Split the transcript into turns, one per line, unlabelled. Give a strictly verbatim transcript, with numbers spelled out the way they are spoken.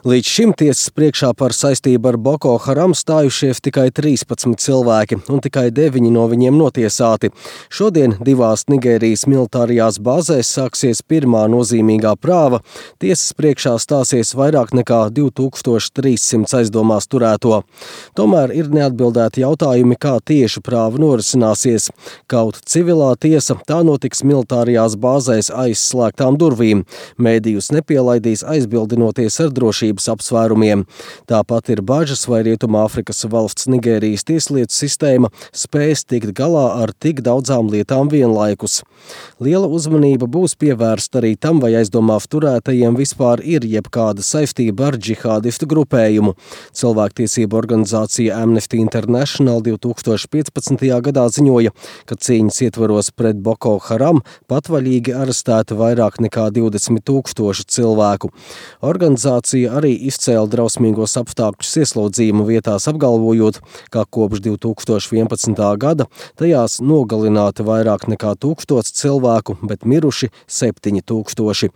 Līdz šim tiesas priekšā par saistību ar Boko Haram stājušies tikai trīspadsmit cilvēki, un tikai deviņi no viņiem notiesāti. Šodien divās Nigērijas militārajās bāzēs sāksies pirmā nozīmīgā prāva. Tiesas priekšā stāsies vairāk nekā divi tūkstoši trīssimts aizdomās turēto. Tomēr ir neatbildēti jautājumi, kā tieši prāva norisināsies. Kaut civilā tiesa, tā notiks militārajās bāzēs aiz slēgtām durvīm. Mēdījus nepielaidīs, aizbildinoties ar drošību apsvērumiem. Tāpat ir bažas, vai Rietumāfrikas valsts Nigērijas tieslietu sistēma spēs tikt galā ar tik daudzām lietām vienlaikus. Liela uzmanība būs pievērsta arī tam, vai aizdomās turētajiem vispār ir jebkāda saistība ar džihādistu grupējumu. Cilvēktiesību organizācija Amnesty International divi tūkstoši piecpadsmitajā gadā ziņoja, ka cīņas ietvaros pret Boko Haram patvaļīgi arestēti vairāk nekā divdesmit tūkstoši cilvēku. Organizācija arī izcēla drausmīgos apstākļus ieslodzījuma vietās, apgalvojot, ka kopš divi tūkstoši vienpadsmitā gada tajās nogalināti vairāk nekā tūkstots cilvēku, bet miruši septiņi tūkstoši.